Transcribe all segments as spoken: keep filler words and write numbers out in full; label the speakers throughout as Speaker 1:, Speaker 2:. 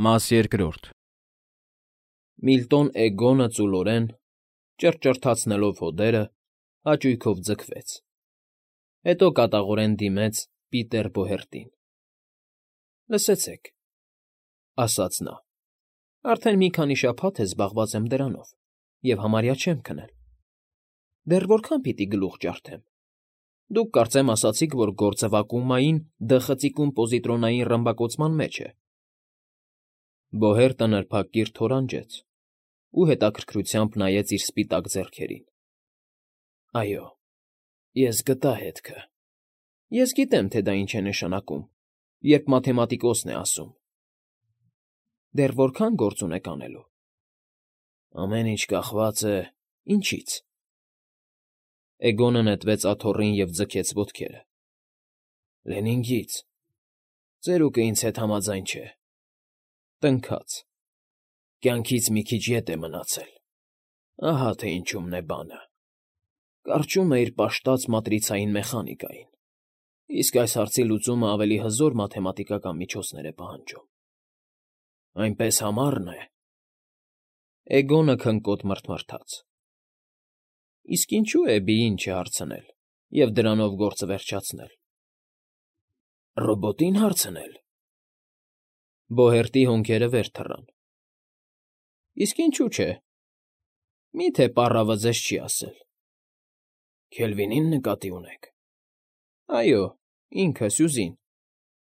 Speaker 1: Մաս երկրորդ Միլտոն Էգոնը ծուլորեն, ճռճռթացնելով հոդերը, հաճույքով ձգվեց, հետո կատաղորեն դիմեց Պիտեր Բոհերտին։ ֊ Լսեցեք,֊ ասաց նա,֊ արդեն մի քանի շաբաթ է զբաղված եմ դրանով և համարյա չեմ քնել։ Դեռ որքա՞ն պիտի գլուխ ջարդեմ։ Դուք կարծեմ ասացիք, որ գործը վակուումային դը խցիկում պոզիտրոնային ռմբակոծման մեջ է։ Բոհերտը նրբակիր թորանջեց ու հետաքրքրությամբ նայեց իր սպիտակ ձեռքերին։ ֊ Այո, ես գտա հետքը։ Ես գիտեմ, թե դա ինչ է նշանակում, երբ մաթեմատիկոսն է ասում։ Դեռ որքա՞ն գործ ունեք անելու։ Ամեն ինչ կախված է… Ինչի՞ց։ Էգոնը նետվեց աթոռին և ձգեց ոտքերը։ Լենինգից… Ծերուկը ինձ հետ համաձայն չէ… Տնքաց. Կյանքից մի քիչ ետ է մնացել… Ահա թե ինչումն է բանը… Կարճում է իր պաշտած մատրիցային մեխանիկային, իսկ այս հարցի լուծումը ավելի հզոր մաթեմատիկական միջոցներ է պահանջում… Այնպես համառն է… Էգոնը քնկոտ մռթմռթաց. Իսկ ինչո՞ւ Էբիին չհարցնել և դրանով գործը վերջացնել։ Ռոբոտի՞ն հարցնել… Բոհերտի հոնքերը վեր թռան։ Իսկ ինչու՞ չէ… Մի՞թե պառավը ձեզ չի ասել։ Քելվինի՞ն նկատի ունեք։ Այո, ինքը՝ Սյուզին…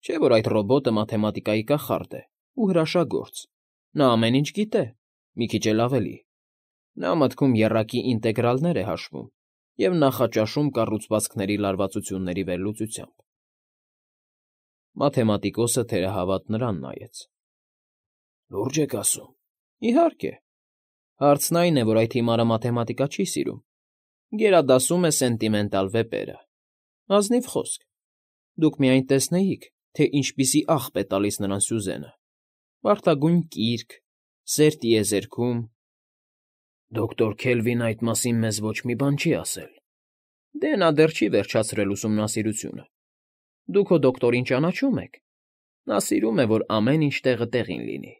Speaker 1: Չէ՞ որ այդ ռոբոտը մաթեմատիկայի կախարդ է ու հրաշագործ, նա ամեն ինչ գիտե, մի քիչ էլ ավելի… Նա մտքում եռակի ինտեգրալներ է հաշվում և նախաճաշում կառուցվածքների լարվածությունների վերլուծությամբ։ Մաթեմատիկոսը թերահավատ նրան նայեց։ Լուրջ եք ասում։ Իհարկե… Հարցն այն է, որ այդ հիմարը մաթեմատիկա չի սիրում, գերադասում է սենտիմենտալ վեպերը… Ազնիվ խոսք… Դուք միայն տեսնեիք, թե ինչպիսի աղբ է տալիս նրան Սյուզենը… Վարդագույն կիրք, սեր տիեզերքում… Դոկտոր Քելվինն այդ մասին մեզ ոչ մի բան չի ասել… Դե նա դեռ չի վերջացրել ուսումնասիրությունը… Դուք հո դոկտորին ճանաչում եք… Նա սիրում է, որ ամեն ինչ տեղը տեղին լինի…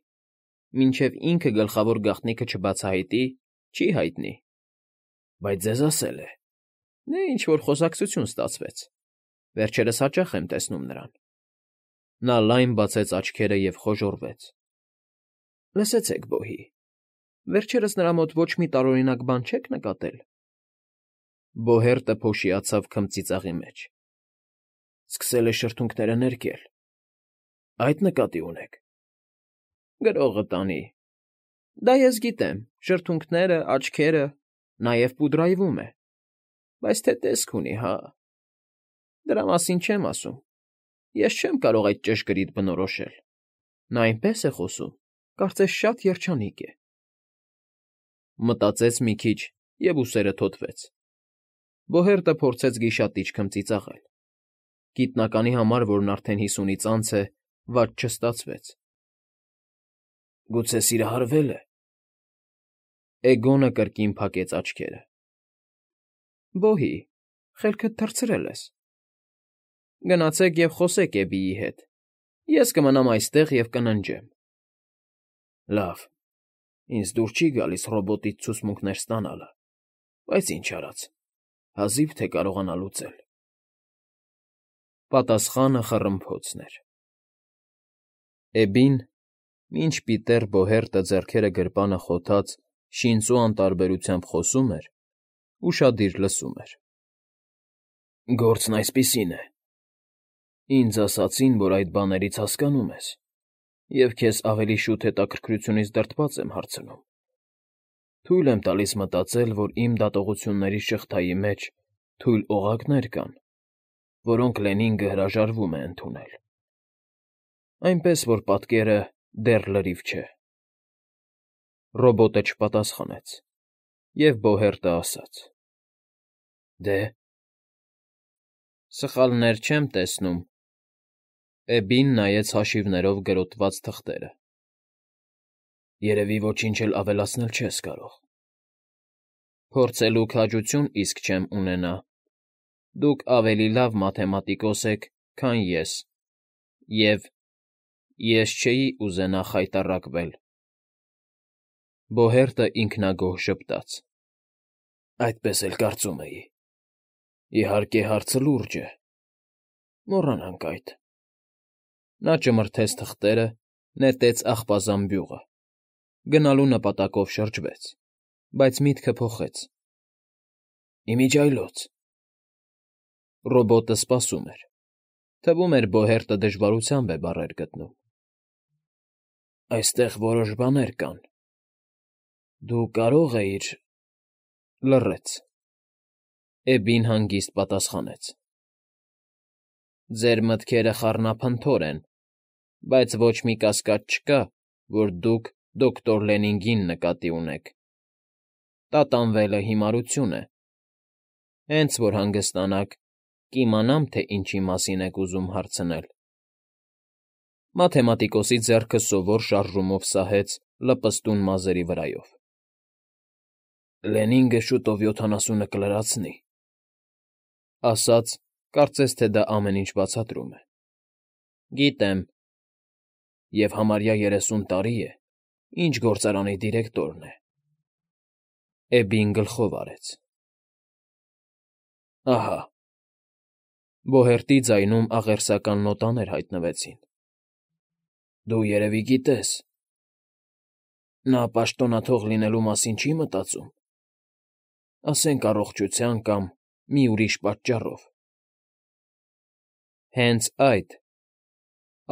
Speaker 1: Մինչև ինքը գլխավոր գաղտնիքը չբացահայտի, չի հայտնի… Բայց ձեզ ասել է… Դե ինչ֊որ խոսակցություն ստացվեց… Վերջերս հաճախ եմ տեսնում նրան… Նա լայն բացեց աչքերը և խոժոռվեց… Լսեցեք, բոհի… Վերջերս նրա մոտ ոչ մի տարօրինակ բան չե՞ք նկատել։ Բոհերտը փոշիացավ քմծիծաղի մեջ… Սկսել է շրթունքները ներկել… Այդ նկատի ունեք։ Գրողը տանի… Դա ես գիտեմ, շրթունքները, աչքերը, նաև պուդրայվում է… Բայց թե տեսք ունի, հա… Դրա մասին չեմ ասում… Ես չեմ կարող այդ ճշգրիտ բնորոշել… Նա այնպես է խոսում, կարծես շատ երջանիկ է… Մտածեց մի քիչ և ուսերը թոթվեց… Բոհերտը փորձեց գիշատիչ քմծիծաղել… Գիտնականի համար, որն արդեն հիսունից անց է, վատ չստացվեց… Գուցե սիրահարվե՞լ է… Էգոնը կրկին փակեց աչքերը… Բոհի, խելքդ թռցրել ես… Գնացեք և խոսեք Էբիի հետ… Ես կմնամ այստեղ և կննջեմ… Լավ… Ինձ դուր չի գալիս ռոբոտից ցուցմունքներ ստանալը, բայց ինչ արած… Հազիվ թե կարողանա լուծել… Պատասխանը խռմփոցն էր… Էբին, մինչ Պիտեր Բոհերտը ձեռքերը գրպանը խոթած շինծու անտարբերությամբ խոսում էր, ուշադիր լսում էր… Գործն այսպիսին է… Ինձ ասացին, որ այդ բաներից հասկանում ես, և քեզ ավելի շուտ հետաքրքրությունից դրդված եմ հարցնում… Թույլ եմ տալիս մտածել, որ իմ դատողությունների շղթայի մեջ թույլ օղակներ կան, որոնք Լենինգը հրաժարվում է ընդունել… Այնպես որ պատկերը դեռ լրիվ չէ… Ռոբոտը չպատասխանեց, և Բոհերտը ասաց. Դե՞… Սխալներ չեմ տեսնում… Էբին նայեց հաշիվներով գրոտված թղթերը… Երևի ոչինչ էլ ավելացնել չես կարող… Փորձելու քաջություն իսկ չեմ ունենա… Դուք ավելի լավ մաթեմատիկոս եք, քան ես… Եվ… Ես չէի ուզենա խայտառակվել։ Բոհերտը ինքնագոհ ժպտաց։ Այդպես էլ կարծում էի։ Իհարկե, հարցը լուրջ է։ Մոռանանք այդ։ Նա ճմրթեց թղթերը, նետեց աղբազան բյուղը, գնալու նպատակով շրջվեց, բայց միտքը փոխեց։ Իմիջիայլոց։ Ռոբոտը սպասում էր։ Թվում էր Բոհերտը դժվարությամբ է բառեր գտնում։ Այստեղ որոշ բաներ կան։ Դու կարող էիր… Լռեց։ Էբին հանգիստ պատասխանեց. Ձեր մտքերը խառնափնթոր են, բայց ոչ մի կասկած չկա, որ դուք դոկտոր Լենինգին նկատի ունեք։ Տատանվելը հիմարություն է։ Հենց որ հանգստանաք, կիմանամ, թե ինչի մասին եք ուզում հարցնել։ Մաթեմատիկոսի ձեռքը սովոր շարժումով սահեց լպստուն մազերի վրայով։ Լենինգը շուտով յոթանասունը կլրացնի, ասաց, կարծես թե դա ամեն ինչ բացատրում է։ Գիտեմ։ Եվ համարյա երեսուն տարի է, ինչ գործարանի դիրեկտորն է։ Էբին գլխով արեց։ Ահա։ Բոհերտի ձայնում աղերսական նոտաներ հայտնվեցին։ Դու երևի գիտես։ Նա պաշտոնաթող լինելու մասին չի մտածում։ Ասենք առողջության կամ մի ուրիշ պատճառով։ Հենց այդ,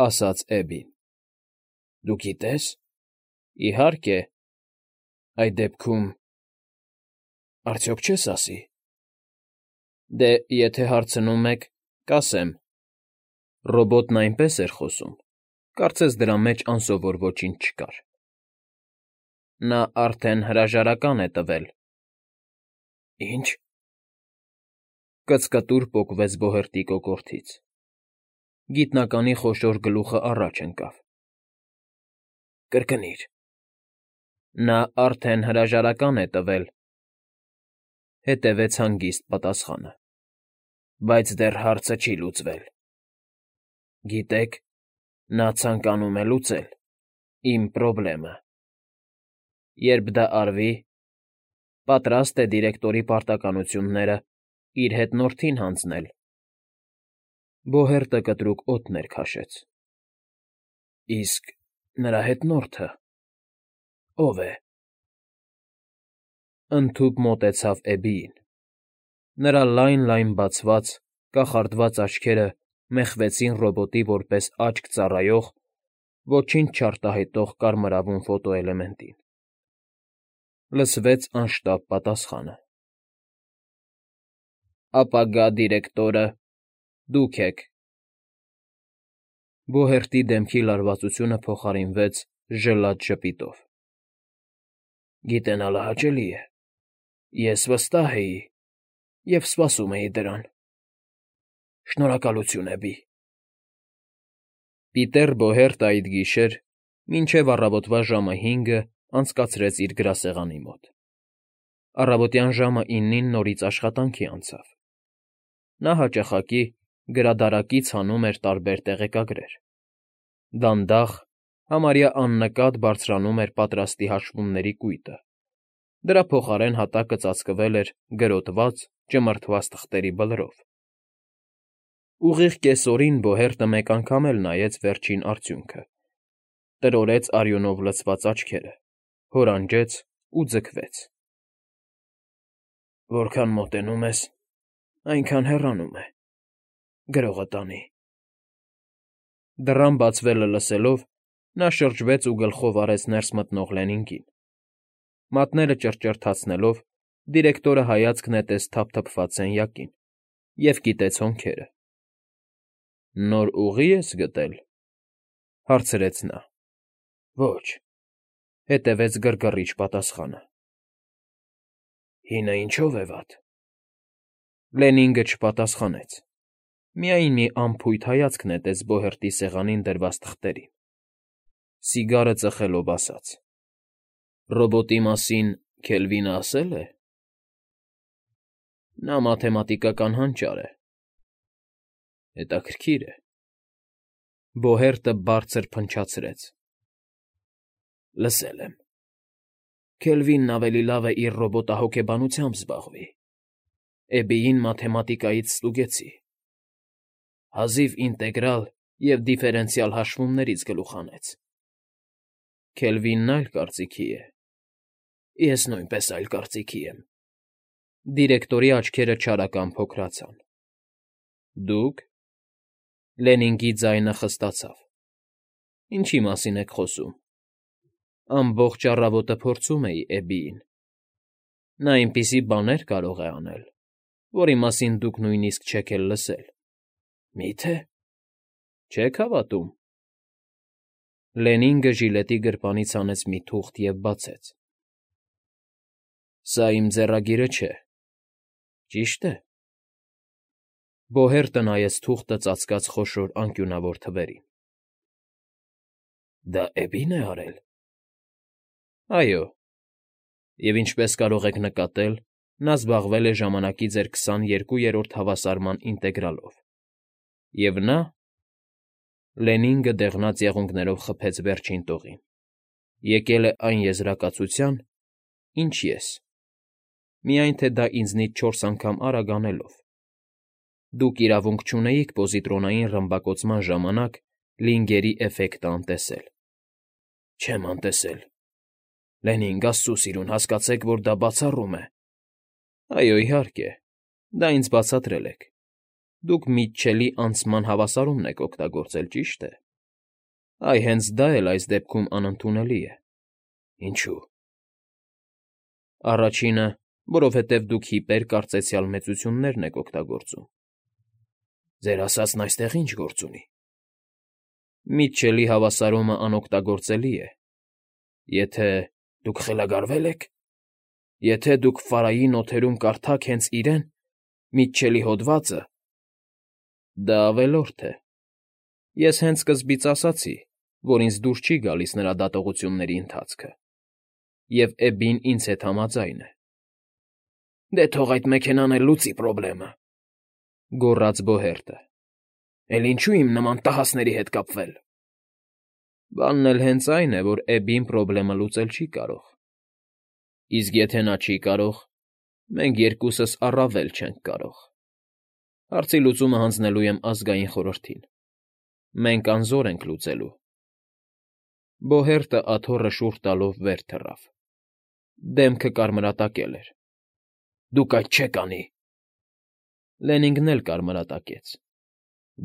Speaker 1: ասաց Էբին։ Դու գիտես։ Իհարկե։ Այդ դեպքում… Արդյոք չես ասի։ Դե, եթե հարցնում եք, կասեմ։ Ռոբոտն այնպես էր խոսում, կարծես դրա մեջ անսովոր ոչինչ չկար։ Նա արդեն հրաժարական է տվել։ Ինչ… Կծկտուր պոկվեց Բոհերտի կոկորդից։ Գիտնականի խոշոր գլուխը առաջ ընկավ։ Կրկնիր։ Նա արդեն հրաժարական է տվել։ Հետևեց հանգիստ պատասխանը։ Բայց դեռ հարցը չի լուծվել։ Գիտեք, նա ցանկանում է լուծել իմ պրոբլեմը։ Երբ դա արվի, պատրաստ է դիրեկտորի պարտականությունները իր հետնորդին հանձնել։ Բոհերտը կտրուկ օդներ քաշեց։ Իսկ նրա հետնորդը… Ո՞վ է։ Ընդհուպ մոտեցավ Էբիին։ Նրա լայն֊լայն բացված, կախարդված աչքերը մեխվեցին ռոբոտի որպես աչք ծառայող, ոչինչ չարտահայտող կարմրավուն ֆոտոէլեմենտին։ Լսվեց անշտապ պատասխանը. Ապագա դիրեկտորը դուք եք։ Բոհերտի դեմքի լարվածությունը փոխարինվեց ժլատ ժպիտով։ Գիտենալը հաճելի է։ Ես վստահ էի և սպասում էի դրան։ Շնորհակալություն, Էբի։ Պիտեր Բոհերտը այդ գիշեր, մինչև առավոտվա ժամը հինգը անցկացրեց իր գրասեղանի մոտ։ Առավոտյան ժամը իննին նորից աշխատանքի անցավ։ Նա հաճախակի գրադարակից հանում էր տարբեր տեղեկագրեր։ Դանդաղ, համարյա աննկատ բարձրանում էր պատրաստի հաշվումների կույտը։ Դրա փոխարեն հատակը ծածկվել էր գրոտված, ճմրթված թղթերի բլրով։ Ուղիղ կեսօրին Բոհերտը մեկ անգամ էլ նայեց վերջին արդյունքը, տրորեց արյունով լցված աչքերը, հորանջեց ու ձգվեց։ Որքան մոտենում ես, այնքան հեռանում է, գրողը տանի։ Դռան բացվելը լսելով՝ նա շրջվեց ու գլխով արեց ներս մտնող Լենինգին։ Մատները ճռճռթացնելով՝ դիրեկտորը հայացք նետեց թափթփված սենյակին և կիտեց հոնքերը։ Նոր ուղի՞ ես գտել,֊ հարցրեց նա։ Ոչ,֊ հետևեց գրգռիչ պատասխանը։ Հինը ինչո՞վ է վատ։ Լենինգը չպատասխանեց, միայն մի անփույթ հայացք նետեց Բոհերտի սեղանին դրված թղթերին։ Սիգարը ծխելով ասաց. Ռոբոտի մասին Քելվինը ասել է։ Նա մաթեմատիկական հանճար է։ Հետաքրքիր է։ Բոհերտը բարձր փնչացրեց. Լսել եմ։ Քելվինն ավելի լավ է իր ռոբոտահոգեբանությամբ զբաղվի։ Էբիին մաթեմատիկայից ստուգեցի։ Հազիվ ինտեգրալ և դիֆերենցիալ հաշվումներից գլուխ հանեց։ Քելվինն այլ կարծիքի է։ Ես նույնպես այլ կարծիքի եմ։ Դիրեկտորի աչքերը չարական փոքրացան։ Դուք… Լենինգի ձայնը խստացավ։ Ինչի մասին եք խոսում։ Ամբողջ առավոտը փորձում էի Էբիին։ Նա այնպիսի բաներ կարող է անել, որի մասին դուք նույնիսկ չեք էլ լսել։ Մի՞թե… Չեք հավատում։ Լենինգը ժիլետի գրպանից հանեց մի թուղթ և բացեց։ Սա իմ ձեռագիրը չէ։ Ճիշտ է։ Բոհերտը նայեց թուղթը ծածկած խոշոր անկյունավոր թվերին։ Դա Էբի՞ն է արել։ Այո։ Եվ ինչպես կարող եք նկատել, նա զբաղվել է ժամանակի ձեր քսաներկուերորդ հավասարման ինտեգրալով։ Եվ նա… Լենինգը դեղնած եղունգներով խփեց վերջին տողին։ Եկել է այն եզրակացության, ինչ ես։ Միայն թե դա ինձնից չորս անգամ արագ անելով։ Դուք իրավունք չունեիք պոզիտրոնային ռմբակոծման ժամանակ Լինգերի էֆեկտը անտեսել։ Չեմ անտեսել։ Լենինգ, աստծու սիրուն, հասկացեք, որ դա բացառում է։ Այո, իհարկե, դա ինձ բացատրել եք։ Դուք Միթչելի անցման հավասարումն եք օգտագործել, ճիշտ է։ Այ հենց դա էլ այս դեպքում անընդունելի է։ Ինչո՞ւ։ Առաջինը, որովհետև դուք հիպեր֊կարծեցյալ մեծություններն եք օգտագործում։ Ձեր ասածն այստեղ ի՞նչ գործ ունի։ Միթչելի հավասարումը անօգտագործելի է։ Եթե… Դուք խելագարվե՞լ եք։ Եթե դուք Ֆարայի նոթերում կարդաք հենց իրեն՝ Միթչելի հոդվածը… Դա ավելորդ է։ Ես հենց սկզբից ասացի, որ ինձ դուր չի գալիս նրա դատողությունների ընթացքը։ Եվ Էբին ինձ հետ համաձայն է։ Դե թող այդ մեքենան էլ լուծի պրոբլեմը,֊ գոռաց Բոհերտը։ Էլ ինչու իմ նման տհասների հետ կապվել։ Բանն էլ հենց այն է, որ Էբին պրոբլեմը լուծել չի կարող։ Իսկ եթե նա չի կարող, մենք երկուսս առավել չենք կարող։ Հարցի լուծումը հանձնելու եմ Ազգային խորհրդին։ Մենք անզոր ենք լուծելու։ Բոհերտը աթոռը շուռ տալով վեր թռավ։ Դեմքը կարմրատակել էր։ Դուք այդ չեք անի։ Լենինգն էլ կարմրատակեց։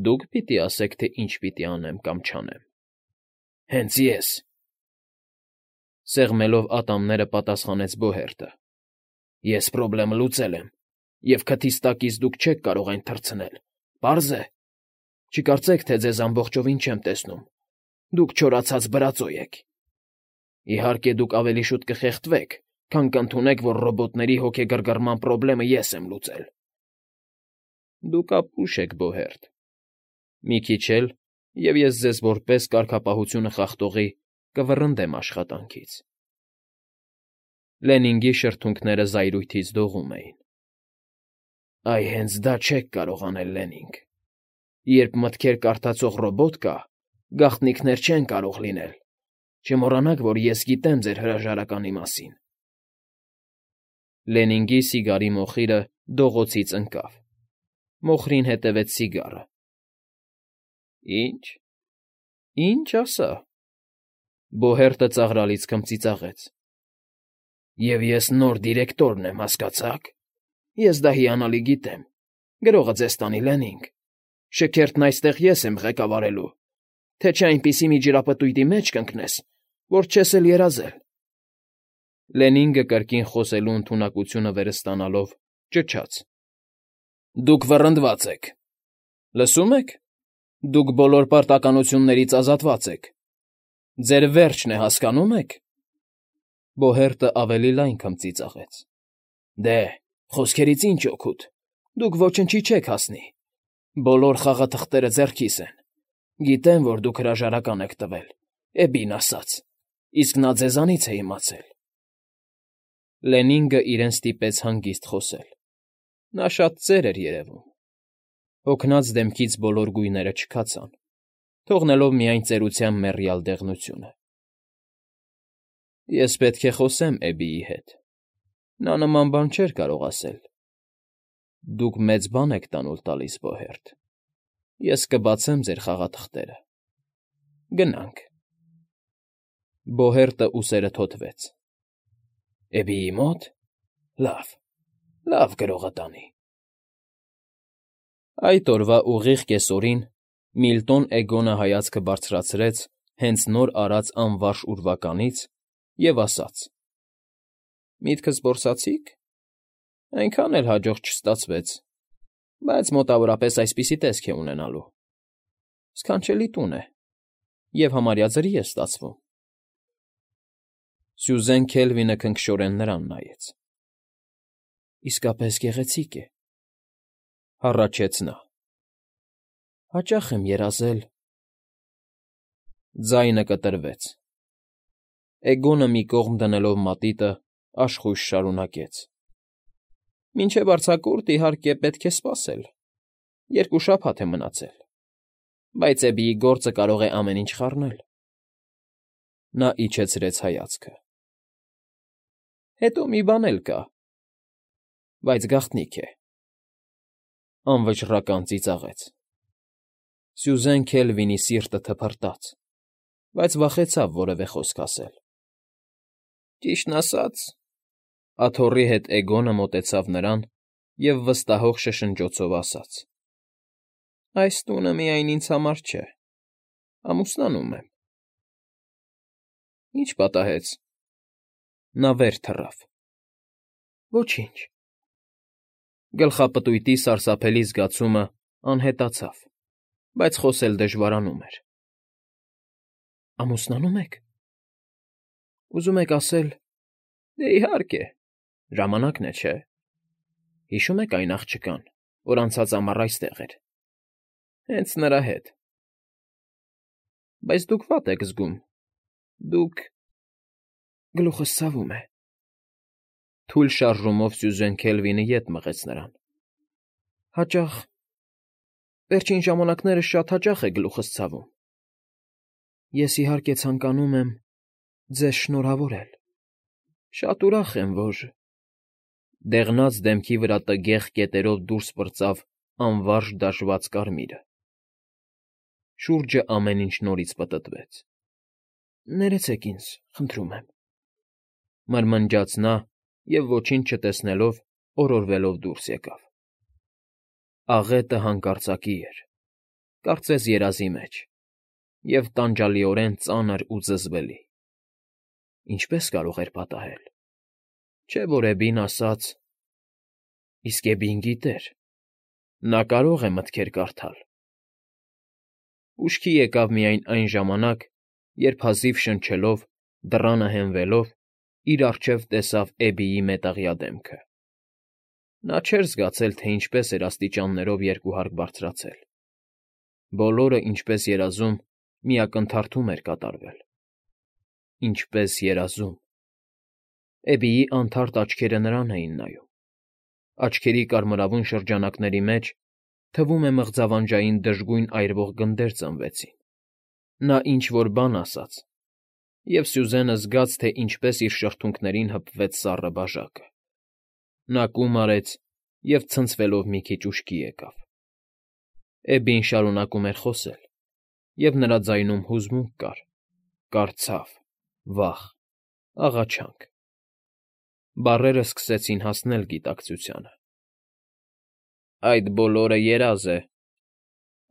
Speaker 1: Դուք պիտի ասեք, թե ինչ պիտի անեմ կամ չանեմ։ Հենց ես… Սեղմելով ատամները պատասխանեց Բոհերտը։ Ես պրոբլեմը լուծել եմ, և քթիս տակից դուք չեք կարող այն թռցնել, պարզ է։ Չկարծեք, թե ձեզ ամբողջովին չեմ տեսնում։ Դուք չորացած բրածո եք։ Իհարկե, դուք ավելի շուտ կխեղդվեք, քան կընդունեք, որ ռոբոտների հոգեգրգռման պրոբլեմը ես եմ լուծել։ Դուք ապուշ եք, Բոհերտ։ Մի քիչ էլ, և ես ձեզ որպես կարգապահությունը խախտողի կվռնդեմ աշխատանքից։ Լենինգի շրթունքները զայրույթից դողում էին։ Այ հենց դա չեք կարող անել, Լենինգ։ Երբ մտքեր կարդացող ռոբոտ կա, գաղտնիքներ չեն կարող լինել։ Չմոռանաք, որ ես գիտեմ ձեր հրաժարականի մասին։ Լենինգի սիգարի մոխիրը դողոցից ընկավ։ Մոխրին հետևեց սիգարը։ Ի՞նչ… Ի՞նչ ասա։ Բոհերտը ծաղրալից քմծիծաղեց։ Եվ ես նոր դիրեկտորն եմ, հասկացա՞ք։ Ես դա հիանալի գիտեմ։ Գրողը ձեզ տանի, Լենինգ։ Շքերթն այստեղ ես եմ ղեկավարելու, թե չէ այնպիսի մի ջրապտույտի մեջ կընկնես, որ չես էլ երազել։ Լենինգը կրկին խոսելու ընդունակությունը վերստանալով ճչաց. Դուք վռնդված եք։ Լսո՞ւմ եք։ Դուք բոլոր պարտականություններից ազատված եք։ Ձեր վերջն է, հասկանո՞ւմ եք։ Բոհերտը ավելի լայն քմծիծաղեց։ Դե, խոսքերից ինչ օգուտ։ Դուք ոչնչի չեք հասնի։ Բոլոր խաղաթղթերը ձեռքիս են։ Գիտեմ, որ դուք հրաժարական եք տվել, Էբին ասաց, իսկ նա ձեզանից է իմացել։ Լենինգը իրեն ստիպեց հանգիստ խոսել։ Նա շատ ծեր էր երևում։ Հոգնած դեմքից բոլոր գույները չքացան։ թողնելով միայն ծերության մեռյալ դեղնությունը։ Ես պետք է խոսեմ Էբիի հետ, նա նման բան չէր կարող ասել։ Դուք մեծ բան եք տանուլ տալիս, Բոհերտ, ես կբացեմ ձեր խաղաթղթերը։ Գնանք։ Բոհերտը ուսերը թոթվեց։ Էբիի մոտ։ Լավ, լավ գրողը տանի։ Այդ օրվա ուղիղ կեսօրին Միլտոն Էգոնը հայացքը բարձրացրեց հենց նոր արած անվարժ ուրվականից և ասաց. Միտքս որսացի՞ք։ Այնքան էլ հաջող չստացվեց, բայց մոտավորապես այսպիսի տեսք է ունենալու։ Սքանչելի տուն է, և համարյա ձրի է ստացվում։ Սյուզեն Քելվինը քնքշորեն նրան նայեց։ Իսկապես գեղեցիկ է, հառաչեց նա։ Հաճախ եմ երազել… Ձայնը կտրվեց։ Էգոնը մի կողմ դնելով մատիտը աշխույժ շարունակեց. Մինչև արձակուրդ, իհարկե, պետք է սպասել, երկու շաբաթ է մնացել, բայց Էբիի գործը կարող է ամեն ինչ խառնել։ Նա իջեցրեց հայացքը։ Հետո մի բան էլ կա, բայց գաղտնիք է… Անվճռական ծիծաղեց։ Սյուզեն Քելվինի սիրտը թփրտաց, բայց վախեցավ որևէ խոսք ասել։ Ճիշտն ասած, աթոռի հետ Էգոնը մոտեցավ նրան և վստահող շշնջոցով ասաց. Այս տունը միայն ինձ համար չէ, ամուսնանում եմ։ Ինչ պատահեց։ Նա վեր թռավ։ Ոչինչ։ Գլխապտույտի սարսափելի զգացումը անհետացավ, բայց խոսել դժվարանում էր։ Ամուսնանո՞ւմ եք։ Ուզում եք ասել… Դե, իհարկե, ժամանակն է, չէ։ Հիշո՞ւմ եք այն աղջկան, որ անցած ամառ այստեղ էր… Հենց նրա հետ… Բայց դուք վատ եք զգում… Դուք… Գլուխս ցավում է… Թույլ շարժումով Սյուզեն Քելվինը ետ մղեց նրան։ Հաճախ… Վերջին ժամանակներս շատ հաճախ է գլուխս ցավում… Ես, իհարկե, ցանկանում եմ ձեզ շնորհավորել… Շատ ուրախ եմ, որ… Դեղնած դեմքի վրա տգեղ կետերով դուրս պրծավ անվարժ դաջված կարմիրը։ Շուրջը ամեն ինչ նորից պտտվեց։ Ներեցեք ինձ, խնդրում եմ, մրմնջաց նա և, ոչինչ չտեսնելով, օրորվելով դուրս եկավ։ Աղետը հանկարծակի էր, կարծես երազի մեջ, և տանջալիորեն ծանր ու զզվելի։ Ինչպե՞ս կարող էր պատահել։ Չէ՞ որ Էբին ասաց… Իսկ Էբին գիտեր… Նա կարող է մտքեր կարդալ։ Ուշքի եկավ միայն այն ժամանակ, երբ հազիվ շնչելով, դռանը հենվելով, իր առջև տեսավ Էբիի մետաղյա դեմքը։ Նա չէր զգացել, թե ինչպես էր աստիճաններով երկու հարկ բարձրացել։ Բոլորը, ինչպես երազում, մի ակնթարթում էր կատարվել։ Ինչպես երազում… Էբիի անթարթ աչքերը նրան էին նայում։ Աչքերի կարմրավուն շրջանակների մեջ, թվում է, մղձավանջային դժգույն այրվող գնդեր ծնվեցին։ Նա ինչ֊որ բան ասաց, և Սյուզենը զգաց, թե ինչպես իր շրթունքներին հպվեց սառը բաժակը։ Նա կում արեց և ցնցվելով մի քիչ ուշքի եկավ։ Էբին շարունակում էր խոսել, և նրա ձայնում հուզմունք կար, կար ցավ, վախ, աղաչանք։ Բառերը սկսեցին հասնել գիտակցությանը։ Այդ բոլորը երազ է,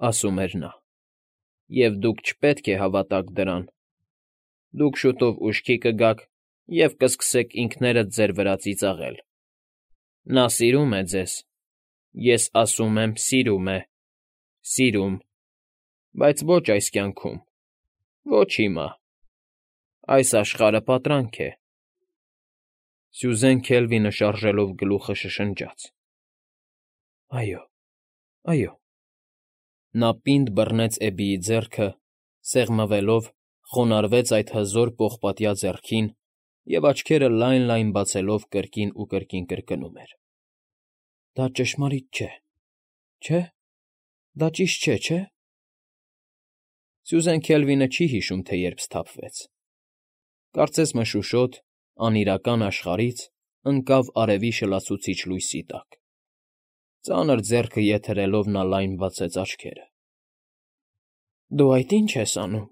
Speaker 1: ասում էր նա, և դուք չպետք է հավատաք դրան։ Դուք շուտով ուշքի կգաք և կսկսեք ինքներդ ձեր վրա ծիծաղել։ Նա սիրում է ձեզ, ես ասում եմ, սիրում է, սիրում, բայց ոչ այս կյանքում, ոչ հիմա… Այս աշխարհը պատրանք է… Սյուզեն Քելվինը շարժելով գլուխը շշնջաց. Այո, այո… Նա պինդ բռնեց Էբիի ձեռքը, սեղմվելով, խոնարհվեց այդ հզոր պողպատյա ձեռքին և աչքերը լայն֊լայն բացելով կրկին ու կրկին կրկնում էր. Դա ճշմարիտ չէ, չէ՞, դա ճիշտ չէ, չէ՞… Սյուզեն Քելվինը չի հիշում, թե երբ սթափվեց։ Կարծես մշուշոտ, անիրական աշխարհից ընկավ արևի շլացուցիչ լույսի տակ։ Ծանր ձեռքը եթերելով նա լայն բացեց աչքերը։ ֊ Դու այդ ի՞նչ ես անում,֊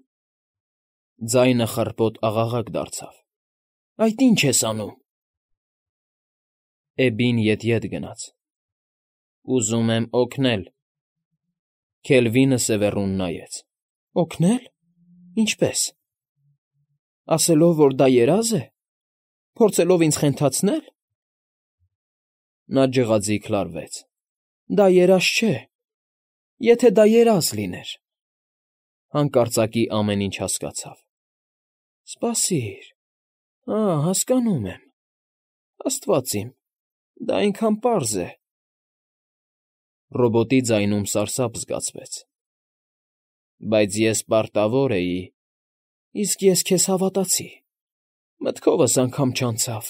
Speaker 1: ձայնը խռպոտ աղաղակ դարձավ։ ֊ Այդ ի՞նչ ես անում։ Էբբին ետ֊ետ գնաց։ ֊ Ուզում եմ օգնել։ Քելվինը սևեռուն նայեց։ ֊ Օգնե՞լ… Ինչպե՞ս։ ֊ Ասելով, որ դա երազ է, փորձելով ինձ խենթացնե՞լ։ Նա ջղաձիգ լարվեց։ ֊ Դա երազ չէ… Եթե դա երազ լիներ… Հանկարծակի ամեն ինչ հասկացավ։ ֊ Սպասիր… Ա, հասկանում եմ… Աստված իմ… Դա այնքան պարզ է… Ռոբոտի ձայնում սարսափ զգացվեց։ ֊ Բայց ես պարտավոր էի… Իսկ ես քեզ հավատացի… Մտքովս անգամ չանցավ։